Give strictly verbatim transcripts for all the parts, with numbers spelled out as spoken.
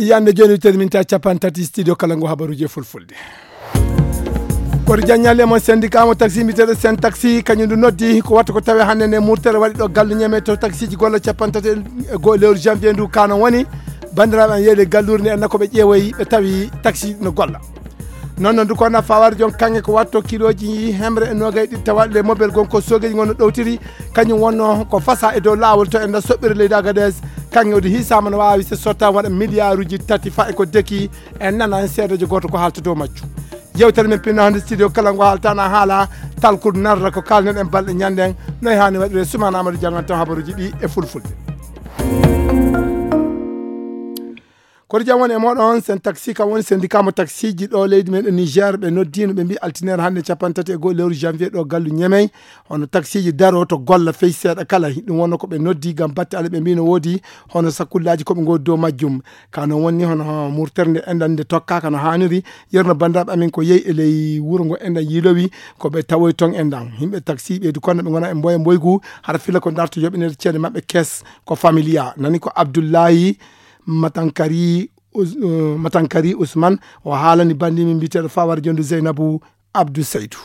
Yande jooni terminta capan tati studio kala ngo habaruji e fulfulde. Koto jaññalle mo syndicat mo taxi mbiteɗo sen taxi kañum ndu noddi ko watta ko tawe hannde nde murtere waɗi ɗo gallu ñeme to taxiji golla capan tati e goho lewru janvier ndu kano woni. Bandiraɓe an yeeyde gallure nde enna koɓe ƴeewoyi ɓe tawi taxi no golla. Noon noon dukona fawar joon kaŋŋe ko watto kiloji hemre e nogay ɗiɗi tawaɗe le mobel gon ko sogeji gon no ɗowtiri. Kañum wonno ko fasa e dow lawol to enda soɓɓire leydi agades. Kaŋŋe odi hisama no wawi se sotta waɗa milliarduji tati fa e ko deki. En nana en seedejo goto ko haalta dow majju. Yewtere men pinno hande studio kala ngo haaltana haala talkude narra ko kalnen en balɗe ñanden. Noy hani waɗire sumana amadou jangan tan habaruji ɗi e fulfulde. Koto jam woni e moɗon sen taxi kam woni syndicat mo taxiji ɗo leydi men e niger ɓe noddino ɓe mbi altinere hannde capanɗe tati e goho lewru janvier ɗo gallu ñemey. Hono taxiji daro to golla fey seeɗa kala ɗum wonno ko ɓe noddi gam batte ala ɓe mbi no woodi hono sakkullaji koɓe godi dow majjum. Ka noon wonni hono murtere nde enɗan nde tokkaka no haniri. Yerno bandiraɓe amin ko yehi e ley wuro ngo enɗan yiilowi ko ɓe tawoy toon enɗan yimɓe taxi ɓeydu konno ɓe gona e mboya mboygu hara fila ko darto yoɓinede ceede maɓɓe kes. Ko familia nani ko abdoullahi matankari Matankari Ousmane o haalani bandi min mbiteɗo fawar jondu Zeynabu Abdou Seydou.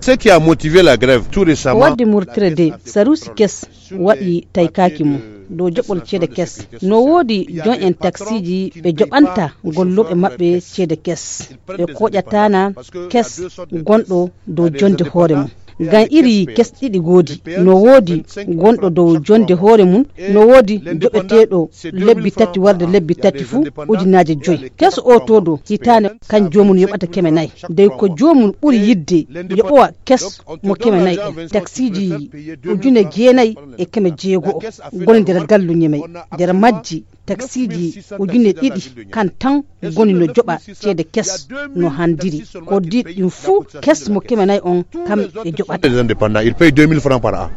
Ce qui a motivé la grève tout récemment. Wadde murtire de sarusi kes waɗi taykaki mum dow joɓol ceede kes. No woodi jon en taksiji ɓe joɓanta golloɓe maɓɓe ceede kes ɓe koƴatana kes gonɗo dow jonde hoore mum. Ngam iri kes ɗiɗi goodi no woodi gonɗo dow jonde hoore mum no woodi joɓeteeɗo lebbi tati warde lebbi tati fuu ujunaaji joyi. Kes o toodo hitaande kan joomum yoɓata keme nayi dey ko joomum ɓuri yidde yoɓowa kes mo keme nayi en taksiji ujune jeenayi e keme jeego o ngoni nder gallu ñemey nder majji taksiji ujune ɗiɗi kan tan ngoni no joɓa ceede kes no handiri ko diɗ ɗin fuu kes mo keme nayi on kam e joɓata. Les indépendants ils payent deux mille francs par an.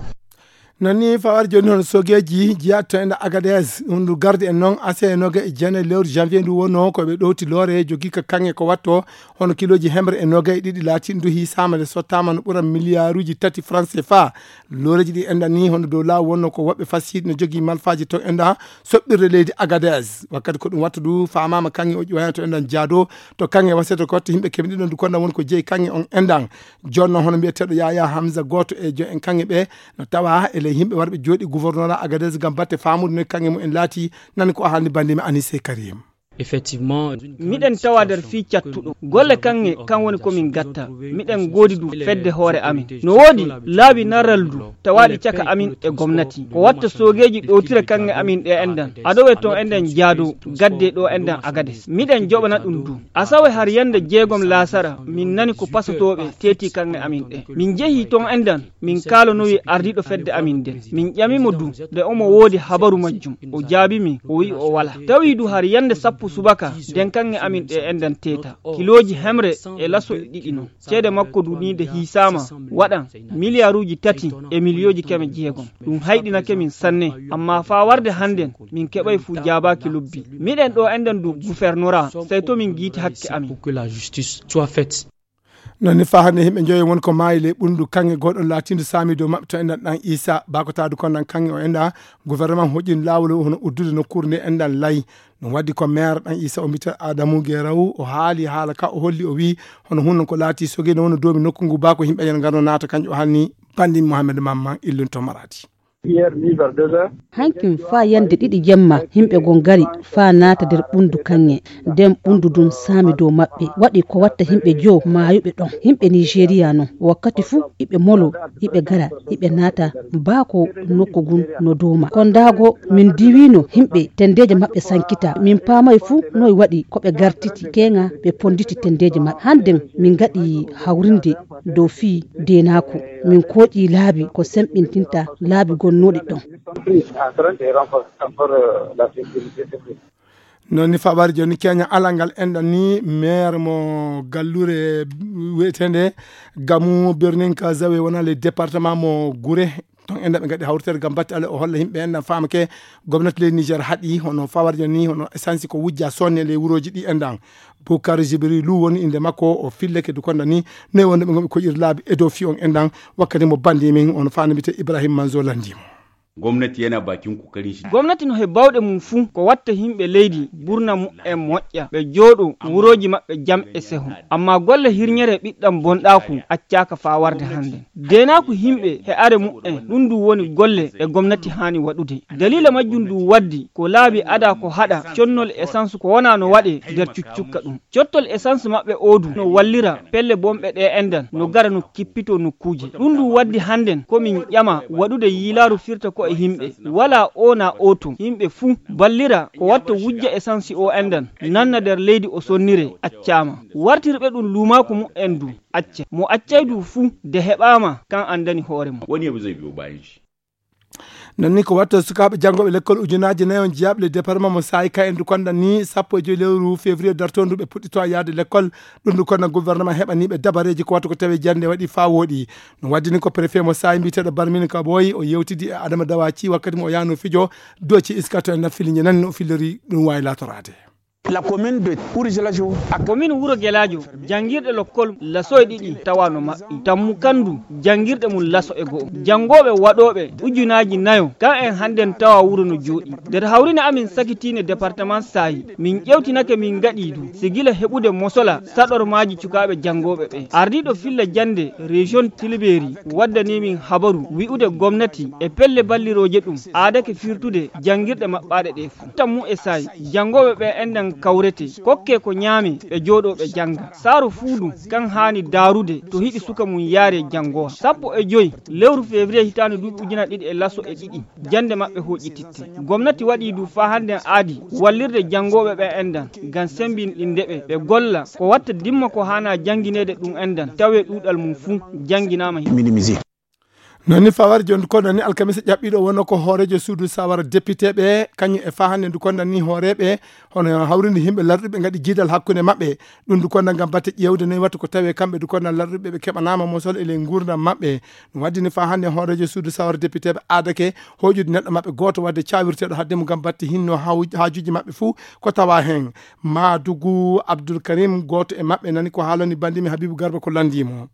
Noon ni fawar jooni hono sogeeji jiyatto enda agades ɗum ndu garde en noon ase e noga e jeenayi lewru janvier ndu wonno ko ɓe ɗowti loore jogii ka kaŋŋe ko watto hono kiloji hemre e noga e ɗiɗi laatiɗi ndu hiisaama nde sottaama no ɓura milliaruji tati franc cfa. Looreji ɗi enɗan ni hono dow laaw wonno ko woɓɓe fasiiɗi no jogii malfaaji to enɗa soɓɓirde leydi agades wakkati ko ɗum watta du faamaama kaŋŋe o ƴiwayna to enɗan jaado to kaŋŋe wasete ko watta yimɓe keɓe ɗiɗon du konɗan woni ko jeyi kaŋŋe on enɗan. Jonno hono mbiyeteeɗo yaya hamsa gooto e jo en kaŋŋe ɓe no tawa e ley yimɓe warɓe jooɗi gouvernora agades ngam batte faamude no kaŋŋe mum en laati. Nani ko o haalni bandimi anise karim. Effectivement. Miɗen tawa nder fii cattuɗo golle kaŋŋe kan woni ko min gatta miɗen goodi du fedde hoore amin no woodi laabi narral du tawaɗi caka amin e gomnati ko watta soogeeji ɗowtira kaŋŋe amin ɗe enɗan adowe ton enɗan jaado gadde ɗo enɗan agades miɗen joɓana ɗum du asawe har yande jeegom laasara min nani ko pasotooɓe teeti kaŋŋe amin ɗe min jehi ton enɗan min kaalanowi ardiiɗo fedde amin nden min ƴamimo du nde omo woodi habaru majjum o jaabi min o wi'i o wala tawi du har yande sappo subaka nden kaŋŋe amin ɗe enɗan teeta kilooji hemre e laso e ɗiɗi non ceede makko du ni nde hiisaama waɗan miliyaruuji tati e miliyooji keme jeegom ɗum hayɗinake min sanne amma faa warde hannden min keɓay fuu jaabaaki lobbi miɗen ɗo enɗan du gufernora sey to min giiti hakke amin. Noon ni faa hannde yimɓe njoyo won ko maayi ley ɓunndu kaŋŋe gooɗon laatiindu saami dow maɓɓe to enɗan ɗan isa bakotaadu kon ɗan kaŋŋe o enɗa gouvernement hoƴƴini laawol hono uddude nokkuure nde enɗan lay. Ɗum waɗi ko maire ɗan isa o mbita adamu geraw o haali haala ka o holli o wii hono hunno ko laati sogino woni doomi nokku ngu baa ko yimɓe yen ngarno naata kañƴo o halni. Banndi mohamed mamman illunto maradi. Hankin faa yande ɗiɗi jemma yimɓe gon ngari faa naata nder ɓunndu kaŋŋe nden ɓunndu ndun saami dow maɓɓe waɗi ko watta yimɓe joo maayuɓe ɗon. Yimɓe nigeria non wakkati fuu iɓe molo iɓe ngara iɓe naata baa ko nokku ngun no dooma kondaago min diwiino yimɓe tenndeeje maɓɓe sankita min paamay fuu noy waɗi ko ɓe ngartiti keeŋa ɓe ponnditi tenndeeje maɓɓe hannden min ngaɗi hawrinde dow fii deenaaku min kooƴii laabi ko semɓintinta laabi gonnooɗi ɗon. Noon ni faɓaari jooni keña alal ngal enɗan ni maire mo gallure wiyeteende gamu berninka zawe wona le département mo gure. Ton enɗan ɓe ngaɗi hawritere ngam batte ale o holla yimɓe enɗan faamake gomnati leydi niger haɗi hono fawarja ni hono essence ko wujja sonne ley wurooji ɗi enɗan. Bukar jibri lu woni innde makko o filleke dukonda ni noy wonde ɓe gomɓe koƴir laabi e dow fi on enɗan. Wakkati mo bandi min on faana mbite ibrahim manzo landimo. Gomnati yana bakin kokarin shi. Gomnati no he bawɗe mum fuu ko watta himɓe leydi burna mu'en moƴƴa, ɓe jooɗo wurooji maɓɓe jam e seho. Amma golle hirñere ɓiɗɗam bonɗaaku accaaka faa warde hannde. Deenaaku himɓe he are mu'en, ɗum ndu woni golle ɗe gomnati haani waɗude. Daliila majjum ndu waddi ko laabi ada ko haɗa connol essence ko wonaa no waɗe nder cuccukka ɗum. Cottol essence maɓɓe oodu no wallira pelle bonɓe ɗe enɗan no gara no kippito nokkuuje. Ɗum ndu waddi hannden ko min ƴama waɗude yiilaaru firta ko e himɓe. Walaa o na oto. Yimɓe fuu ballira ko watta wujja essence o enɗan nanna nder leydi o sonnire accaama. Wartirɓe ɗum luumaaku mu'en ndu acca. Mo accay ndu fuu de heɓaama kan anndani hoore mum. Woni e besoin biyo bayan shi. Nan ni ko watta sukaaɓe janngooɓe lekkol ujunaaji nayi on jeyaaɓe le département mo saayi ka en ndu konda ni sappo e joyi lewru février dartondu ɓe puɗɗito yaade lekkol. Ɗum ndu konda gouvernement heɓaniiɓe dabareeji ko watta ko tawi jannde waɗi faa wooɗi. No waddi ni ko préfet mo saayi mbiyeteeɗo Barmin Kaboy o yewtidi e Adama Dawaci wakkati mo o yaano fijo doci iskato en nafili ñanan no filori ɗum waawi laatoraade. La commune de Ourougelajo. Commune Wuro Gelaajo, janngirɗe lokkol laso e ɗiɗi tawa no maɓɓi. Tammu kandu, janngirɗe mum laso e go'o. Janngooɓe waɗooɓe ujunaaji nayo, kan en hannden tawa wuro no jooɗi. Nder hawrine amin sakitiine département Saayi, min ƴewtinake min ngaɗii du, si gila heɓude mosola saɗormaaji cukaaɓe janngooɓe ɓe. Ardiiɗo filla jannde région Tilbeeri waddanii min habaru wi'ude gomnati e pelle ballirooje ɗum aadake firtude janngirɗe maɓɓaaɗe ɗe. Tammu e saayi, janngooɓe ɓe enɗan kawrete, kokkee ko ñaame, ɓe jooɗoo ɓe jannga. Saaru fuu ɗum, kan haani daarude to hiɗi suka mum yaare janngowa. Sappo e joyi lewru février hitaande duuɓi ujunaaji ɗiɗi e laso e ɗiɗi, jannde maɓɓe hooƴititte. Gomnati waɗii du faa hannden aadi wallirde janngooɓe ɓe enɗan, ngam semmbinɗinde ɓe, ɓe golla ko watta dimma ko haanaa janngineede ɗum enɗan, tawee ɗuuɗal mum fuu jannginaama. Minimisé. Noon ni fawar jooni ko noon ni alkamisa ƴaɓɓiiɗo wonno ko hooreejo suudu sawara député ɓe kañum e fahannde ndu konda ni hooreeɓe hono hawrinde yimɓe larɗuɓe ngaɗi jiidal hakkunde maɓɓe. Ɗum ndu konda ngam batte ƴeewde noy watta ko tawi kamɓe ndu konda larɗuɓe ɓe keɓanaama mosol e ley nguurndam maɓɓe. Ɗum waddini fahannde hooreejo suudu sawara député ɓe aadake hooƴude neɗɗo maɓɓe gooto wadde cawirteeɗo haddemo ngam batte hinno haw- haajuuji maɓɓe fuu ko tawa heen. Maadugu Abdul Karim gooto e maɓɓe nani ko haalani bandimi Habibu Garba ko lanndimo.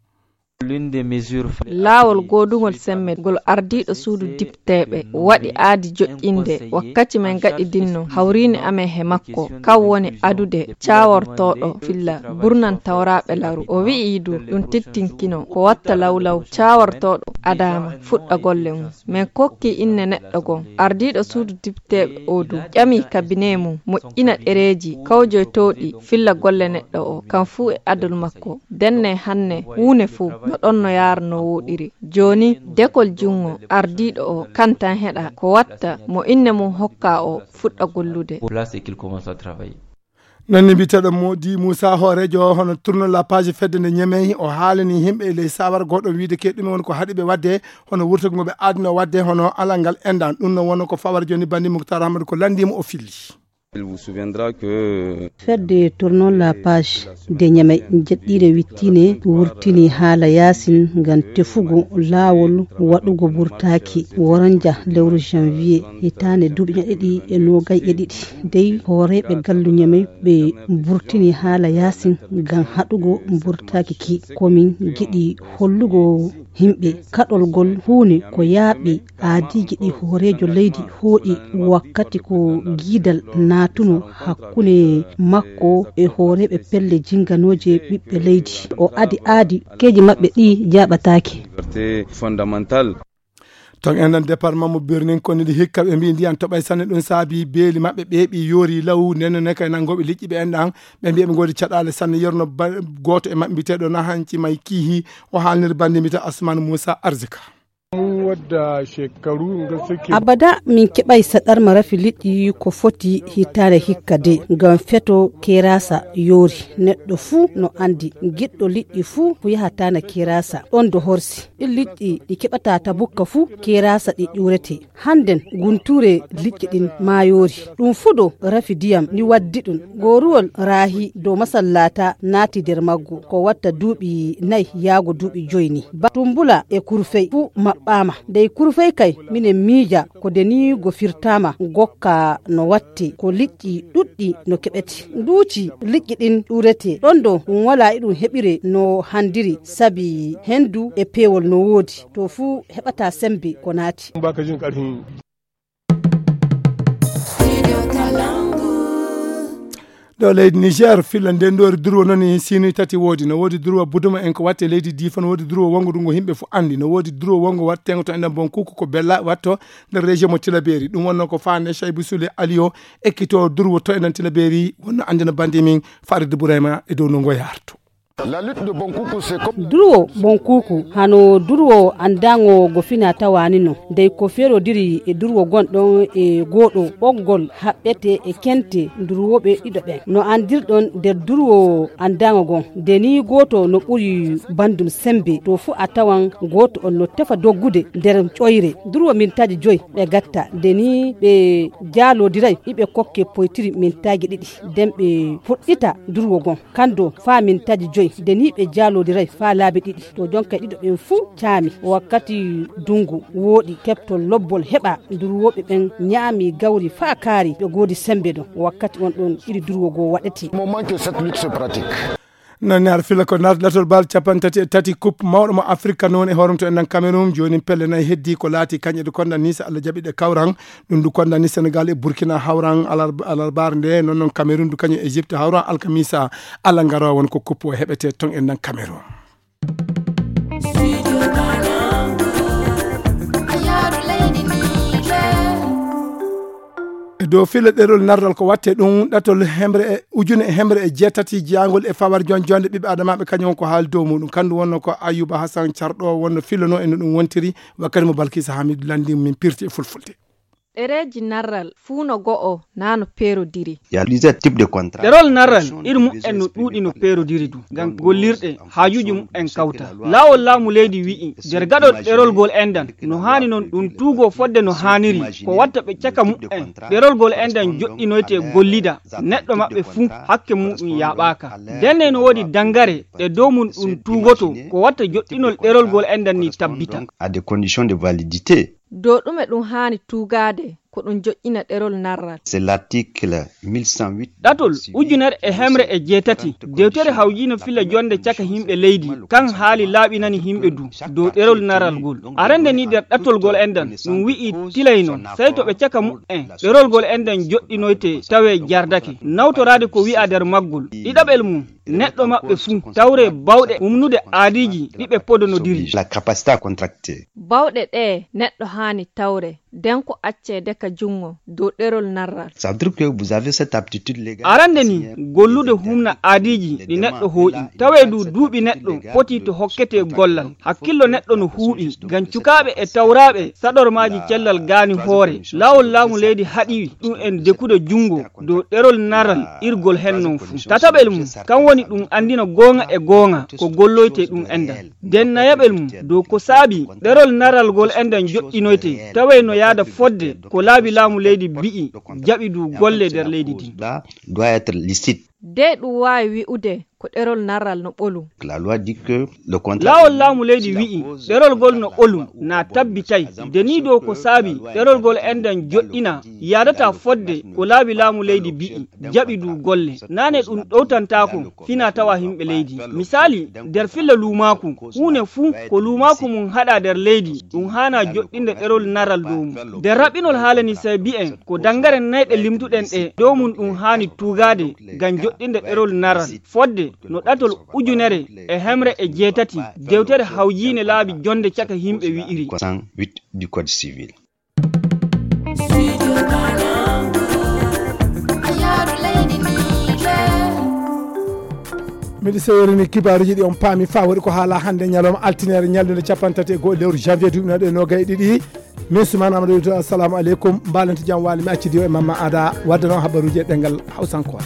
Laawol goodungol semmbe ngol ardiiɗo suudu dipteeɓe waɗi aadi joƴƴinde wakkati men gaɗidinno hawriine amen he makko, kan woni adude caawortooɗo filla burnantawraaɓe laru. O wi'i du ɗum tittinkino ko watta lawlaw caawortooɗo adaama fuɗɗa golle mum. Men kokki inne neɗɗo gom, ardiiɗo suudu dipteeɓe o du ƴami kabinee mum moƴƴina ɗereeji kawjoytooɗi filla golle neɗɗo o, kan fuu e adol makko. Denne hanne huune fuu no ɗon no yaara no wooɗiri. Jooni dekol junngo ardiiɗo o kan tan heɗa ko watta mo inne mum hokka o fuɗɗa gollude. Noon ni mbiyeteeɗo Modi Moussa hooreejo hono tourno la page fedde nde Ñemey o haalani yimɓe e ley sawar gooɗo wiide ke ɗume woni ko haɗi ɓe waɗde hono wurtagol ngo ɓe aadno waɗde hono alal ngal enɗan ɗum no wonno ko fawar jooni banndi Mouhtar Ahmad ko lanndimo o filli. Fedde tournon la page de Ñamey jeɗɗiire wittiine wurtini haala yaasin ngam tefugo laawol waɗugo burtaaki woranja lewru janvier hitaande duuɓi ɗiɗi e noogay e ɗiɗi. Dey hooreeɓe gallu Ñamey ɓe burtini haala yaasin ngam haɗugo burtaaki ki komin giɗi hollugo yimɓe kaɗol ngol huune ko yaaɓi aadiiji ɗi hooreejo leydi hooƴi wakkati ko giidal naatuno hakkunde makko e hooreeɓe pelle jinganooje ɓiɓɓe leydi. O adi aadi keeji maɓɓe ɗi jaaɓataake. Ton enen département mo Birnin koni ɗi hikka ɓe mbi ndiyan toɓay sanne ɗum saabi beeli maɓɓe ɓeeɓi yoori law ndenno ne kay nanngooɓe liƴƴi ɓe enɗan ɓe mbiya ɓe ngoodi caɗaale sanne yerno ba- gooto e maɓɓe mbiyeteeɗo Nahanci May Kiihi o haalniri banndi mbiyetee Asman Muusa Arzika. Abada min keɓay saɗarma rafi liƴƴi ko foti hitaande hikka de ngam feto kerasa yoori. Neɗɗo fuu no anndi giɗɗo liƴƴi fuu ko yahataana kerasa ɗon do horsi. Ɗin liƴƴi ɗi keɓata tabukka fuu kerasa ɗi ƴuurete. Hannden guntuure liƴƴi ɗin maayoori. Ɗum fuu ɗo rafi diyam ni waddi ɗum. Gooruwol raahi dow masallata naati nder maggu. Ko watta duuɓi nayi yaago duuɓi joyi ni. Ba Tumbula e Kurfey fuu maɓɓaama. Dey kurfey kay, minen miija ko deniigo firtaama gokka no watte, ko liƴƴi ɗuɗɗi no keɓete. Nduuci liƴƴi ɗin ɗuurete. Ɗon ɗo ɗum walaa e ɗum heɓire no handiri, sabi henndu e peewol no woodi. To fuu heɓata semmbe ko naati. Ɗo leydi Niger, filla nden ɗo durwo noon e sinuy tati woodi. No woodi durwo buduma en ko watte leydi Difa, no woodi durwo wongo ɗum ko yimɓe fof anndi. No woodi durwo wongo watteengo to enen Bonkuku ko Bella watto nder région mo Tilaberi. Ɗum wonno ko faande Chaybu Sule Aliyo ekkito durwo to enen Tilaberi wonno anndina bandi min Farid Burema e dow no ngo yarto. La lutte de Bonkuku, c'est comme Durwo Bonkuku, hano durwo anndaango go fina tawani no. Dey ko ferodiri e durwo gonɗon e gooɗo ɓoggol haɓɓete e kente durwoɓe ɗiɗo ɓen. No anndirɗon nder durwo anndaango gon, de ni gooto no ɓuri bandum sembe, to fu a tawan gooto on no tefa doggude nder ƴoyre. Durwo mintaji joy ɓe gatta, de ni ɓe jaalodiray, iɓe kokke poytiri mintaji ɗiɗi, den ɓe fuɗɗita durwo gon. Kando faa mintaji joy, de ni ɓe jaalodiray faa laabi ɗiɗi. To jonka ɗiɗo ɓen fuu caami. Wakkati dungu wooɗi, keɓtol lobbol heɓa, durwooɓe ɓen ñaami gawri faa kaari, ɓe goodi sembe ɗon. Wakkati on ɗon iri durwo goo waɗete. Moment que cette lutte se pratique. Noon ne, aɗa fila ko nardatol bal capanɗe tati e tati Coupe mawɗo mo Afrika noon e hoorumto en nan Cameroun. Jooni pelle nayi heddi ko laati kañƴe ɗe konda ni, so Allah jaɓi ɗe kawran. Ɗum du konda ni Senegal e Burkina hawran alar-, alarbaare nde, noon noon Cameroun du kañum e Egypte hawran alkamisa. Allah ngaro won ko Coupe o heɓete ton en nan Cameroun. E dow filla ɗerol narral ko watte ɗum ɗatol hemre e ujune e hemre e jeetati jeyangol e fawar jon jonde ɓiɓɓe adamaɓe kañum ko haali dow muɗum. Kandu wonno ko Ayuba Hassan Carɗo wonno fillano e no ɗum wontiri wakkati mo Balkisa Hamidu Landi min pirti e fulfulde. Ɗereeji narral fuu no go'o naa no peerodiri. Il y a plusieurs types de contrats. Ɗerol narral iri mu'en no ɗuuɗi no peerodiri du. Ngam gollirɗe haajuuji mu'en kawta. Laawol laamu leydi wi'i, nder gaɗol ɗerol gol endan, no haani non ɗum tuugo fodde no haaniri, ko watta ɓe caka mu'en. Ɗerol gol endan joɗɗinoyte gollida, neɗɗo maɓɓe fuu hakke muɗum yaaɓaaka. Ndenne no woodi dangare ɗe dow mum ɗum tuugoto, ko watta joɗɗinol ɗerol gol endan ni tabbita. Donc, à des conditions de validité. Dow ɗume ɗum haani tuugaade ko ɗum joƴƴina ɗerol narral? C'est l'article mille cent huit. Ɗatol ujunere e hemre e jeetati, dewtere hawjiino filla jonde caka yimɓe leydi, kan haali laaɓinani yimɓe du dow ɗerol narral ngol. Arande ni nder ɗatol ngol enɗan, ɗum wi'i tilay non, sey to ɓe caka mu'en, ɗerol ngol enɗan joɗɗinoyte tawe jardake. Nawtoraade ko wi'a nder maggol. Ɗiɗaɓel mum, neɗɗo maɓɓe fuu tawre bawɗe umnude aadiiji ɗi ɓe podonodiri. La capacité à contracter. Bawɗe ɗe neɗɗo haani tawre, den ko acceede ka junngo dow ɗerol narral. Ça veut dire que vous avez cette aptitude légale. Arande ni, gollude humna aadiiji ɗi neɗɗo hooƴi. Tawee du duuɓi neɗɗo foti to hokkete gollal. Hakkillo neɗɗo no huuɓi, ngam cukaaɓe e tawraaɓe saɗormaaji cellal gaani hoore. Laawol laamu leydi haɗi ɗum en dekude junngo dow ɗerol naral irgol hen non fuu. Tataɓel mum, kan woni ɗum anndina goonga e goonga ko golloyte ɗum enɗan. Den nayaɓel mum, dow ko saabi ɗerol naral ngol enɗan joɗɗinoyte, taway no yaada fodde ko laabi laamu leydi bi'i, jaɓi du golle nder leydi din. Doit être licite. De ɗum waawi wi'ude ko ɗerol naral no ɓolum. La loi dit que le contrat. Laawol laamu leydi wi'i, ɗerol ngol no ɓolum, na tabbitay. De ni dow ko saabi, ɗerol ngol enɗan joɗɗina, yaadata fodde ko laabi laamu leydi bi'i, jaɓi du golle. Naane ɗum ɗowtantaako, fina tawa yimɓe leydi. Misaali, nder filla luumaaku, huune fuu ko luumaaku mum haɗa nder leydi, ɗum haana joɗɗinde ɗerol naral dow mum. Nder raɓɓinol haala ni sey bi'en, ko dangare nayɗe limtuɗen ɗe, dow mum ɗum haani tuugaade, ngam joɗɗinde ɗerol naral. Fodde no ɗatol ujunere e hemre e jeetati, dewtere hawjiine laabi jonde caka yimɓe wi'iri. Cent huit du Code civil. Miɗo seworini kibaaruji ɗi on paami faa waɗi ko haala hannde ñalawma altine ñalnde capanɗe tati e go'o lewru janvier duuɓi nayi e noogay e ɗiɗi. Min Suman Amadou Wito, assalamu aleykum. Mbalante jam waali mi accidi o e Mamma Ada wadda noon habaruji e ɗemngal Hawsankore.